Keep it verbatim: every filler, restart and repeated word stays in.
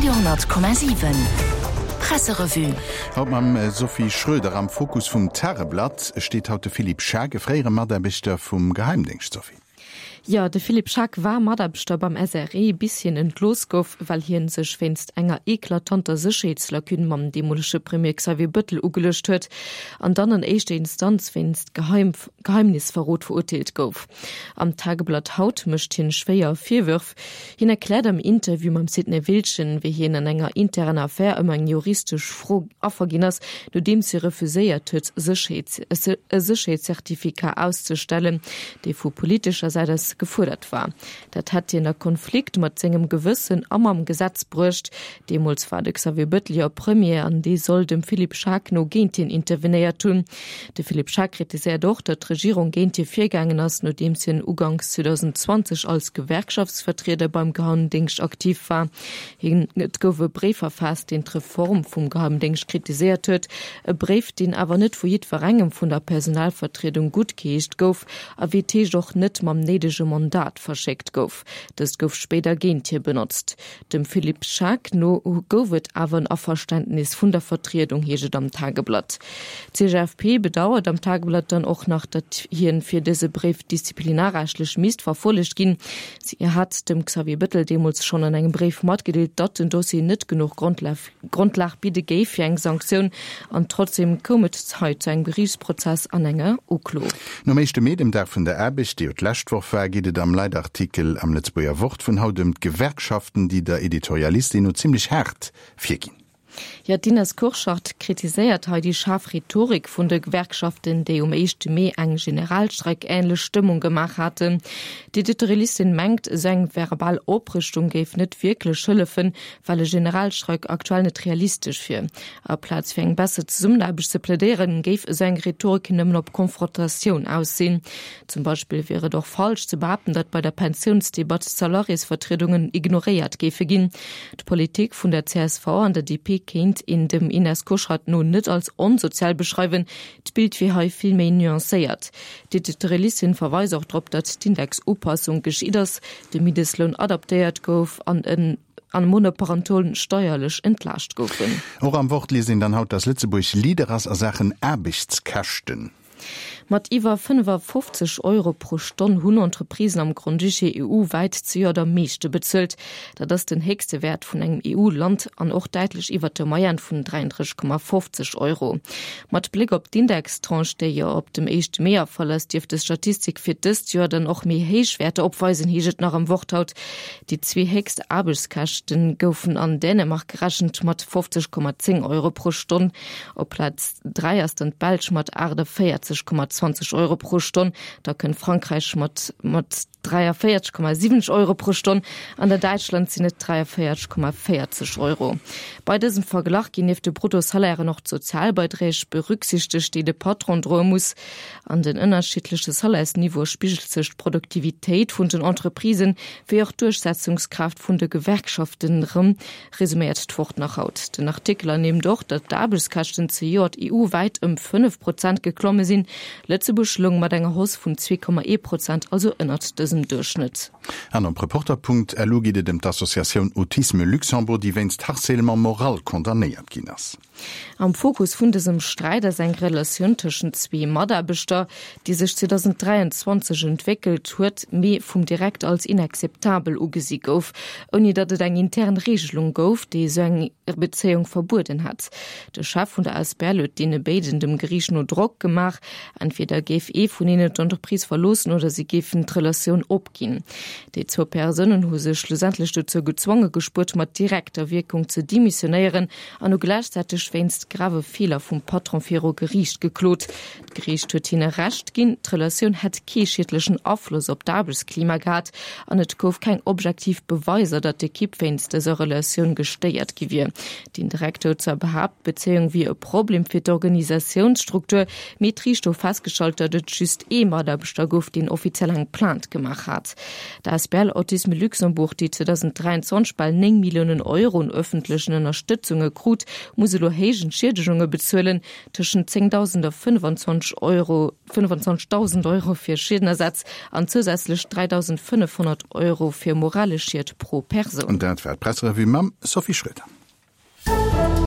Radio honnert Komma siwen Presserevue. Haut mam Sophie Schröder. Am Fokus vum Tageblatt steet haut de Philippe Schaack, e fréiere Mataarbechter vum Geheimdéngscht. Sophie. Jo, de Philippe Schaack war Mataarbechter beim S R E, bis hien entlooss gouf, well hien sech wéinst enger eklatanter Sécherheetslacune mam deemolege Premier Xavier Bëttel ugeluecht huet an dann an éischter Instanz wéinst Geheim Geheimnisverrot verurteelt gouf. Am Tageblatt haut mécht hien schwéier Virwërf. Hien erkläert am Interview mam Sidney Wiltgen, wéi hien an enger interner Affär ëm eng juristesch Fro Affer ginn ass, nodeems hie refuséiert huet, Sécherheets e Sécherheetscertificat auszestellen, dee vu politescher Säit aus gefuerdert war. Dat hätt hien a Konflikt mat sengem Gewëssen a mam Gesetz bruecht. Deemools war de Xavier Bettel jo Premier an dee soll dem Philippe Schaack no géint hien intervenéiert hunn. De Philippe Schaack kritiséiert och, datt d'Regierung géint hie virgaangen ass, nodeems hien uganks zweedausendzwanzeg als Gewerkschaftsvertrieder beim Geheimdéngscht aktiv war. Hien, et gouf e Bréif verfaasst, deen d'Reform vum Geheimdéngscht kritiséiert huet. E Bréif, deen awer net vu jiddwerengem vun der Personalvertriedung guttgeheescht gouf a wéi et heescht och net mam néidege Mandat verschéckt gouf. Dëst gouf spéider géint hie benotzt. Dem Philippe Schaack no gouf et awer en Averständnis vun der Vertriedung, heescht et am Tageblatt. D' C G F P bedauert am Tageblatt dann och nach, datt hien fir dëse Bréif disziplinarrechtlech misst verfollegt ginn. Si hat dem Xavier Bettel deemools schonn an engem Bréif matgedeelt, datt den Dossier net genuch Grondlag bidde géif fir eng Sanktioun, an trotzdeem koum et hei zu engem Geriichtsprozess an enger Uklo. Nom éischte Mee, dem Dag vun der Aarbecht, dee jo d'lescht Woch war, geet et am Leitartikel am Lëtzebuerger Wort vun haut ëm d'Gewerkschaften, déi der Editorialistin no zimmlech haart virginn. Jo, d'Ines Kurschat kritiséiert hei déi schaarf Rhetorik vun de Gewerkschaften, déi um éischte Mee eng Generalstreik-änlech Stëmmung gemaach haten. D'Editorialistin mengt, esou eng verbal Oprüstung géif net wierklech hëllefen, well e Generalstreik aktuell net realistesch wier. Aplaz fir eng besser Zesummenaarbecht ze plädéieren, géif esou eng Rhetorik nëmmen op Konfrontatioun aus sinn. Zum Beispill wier et och falsch ze behaapten, datt bei der Pensiounsdebatt d'Salariésvertriedungen ignoréiert géife ginn. D'Politik vun der C S V an der D P kéint een dem Ines Kurschat no net als onsozial beschreiwen, d'Bild wier hei vill méi nuancéiert. D'Editorialistin verweist och drop, datt d'Indexupassung geschitt ass, de Mindestloun adaptéiert gouf an en an Monoparentolen steierlech entlaascht goufen. Och am Wort liest een dann haut, datt Lëtzebuerg Leader ass a Saachen Aarbechtskäschten. Mat iwwer fënnefafofzeg Euro pro Stonn hunn Entreprisen am Grand-Duché E U-wäit zejoert am meeschte bezuelt. Dat ass den héchste Wäert vun engem E U-Land an och däitlech iwwer der Moyenne vun dräienddrësseg Komma fofzeg Euro. Mat Bléck op d'Indextranche, déi jo op dem éischte Mee erfall ass, dierft des Statistik fir dëst Joer dann och méi héich Wäerter opweisen, heescht et nach am Wort haut. Déi zwee héchst Aarbechtskäschte goufen an Dänemark gerechent mat fofzeg Komma zéng Euro pro Stonn. Op Plaz dräi ass dann d'Belsch mat achtundvéierzeg Komma zwanzeg Euro pro Stonn, da kënnt Frankräich mat, mat dräiavéierzeg Komma siwwenzeg Euro pro Stonn, an der Däitschland sinn et dräiavéierzeg Komma véierzeg Euro. Bei dësem Verglach ginn nieft de Bruttosalairen och d'Sozialbeiträg berücksichtegt, déi de Patron droe muss. An den ënnerschiddleche Salairsniveaue spigelt sech d'Produktivitéit vun den Entreprisen wéi och d'Duerchsetzungskraaft vun de Gewerkschaften erëm, resuméiert d'Wort nach haut. Den Artikel ernimmt och, datt d'Aarbechtskäschten zejoert E U-wäit ëm fënnef Prozent geklomme sinn. Lëtzebuerg loung mat enger Hausse vun zwee Komma ee Prozent, also ënnert dësem Duerchschnëtt. An op Reporter Punkt L U geet et ëm d'Associatioun Autisme Luxembourg, déi wéinst Harcèlement moral condamnéiert ginn ass. Am Fokus vun dësem Sträit ass eng Relatioun tëschent zwee Mataarbechter, déi sech zweedausenddräianzwanzeg entwéckelt huet, mee vum Direkt als inakzeptabel ugesi gouf, ouni datt et eng intern Regelung gouf, déi esou eng Bezéiung verbueden hätt. De Chef vun der A S B L huet deene béiden dem Geriicht no Drock gemaach, entweder géif ee vun hinnen d'Entreprise verloossen oder si géifen d'Relatioun opginn. Déi zwou Persounen hu sech schlussendlech dozou gezwonge gespuert, mat direkter Wierkung ze demissionéieren an hu gläichzäiteg wéinst grave Feeler vum Patron viru Geriicht geklot. D'Geriicht huet hinne Recht ginn, d'Relatioun hätt kee schiedlechen Afloss op d'Aarbechtsklima gehat an et gouf keng objektiv Beweiser, datt d'Ekipp wéinst dëser Relatioun gestéiert gi wier. Den Direkter huet zwar behaapt, d'Bezéiung wier e Problem fir d'Organisatiounsstruktur, mee d'Riicht hu festgestallt, erausgestallt, datt et just ee Mataarbechter gouf, deen offiziell eng Plainte gemaach hat. D'Asbl Autisme Luxembourg, déi zweedausenddräianzwanzeg bal néng Milliounen Euro un ëffentlechen Ënnerstëtzunge krut, muss elo héich Entschiedegunge bezuelen, tëschent zéngdausend a fënnfanzwanzeg Euro, fënnfanzwanzegdausend Euro fir Schiedenersatz an zousätzlech dräidausendfënnefhonnert Euro fir moralesch Schied pro Persoun. An dat war d'Presserevue mam Sophie Schröder.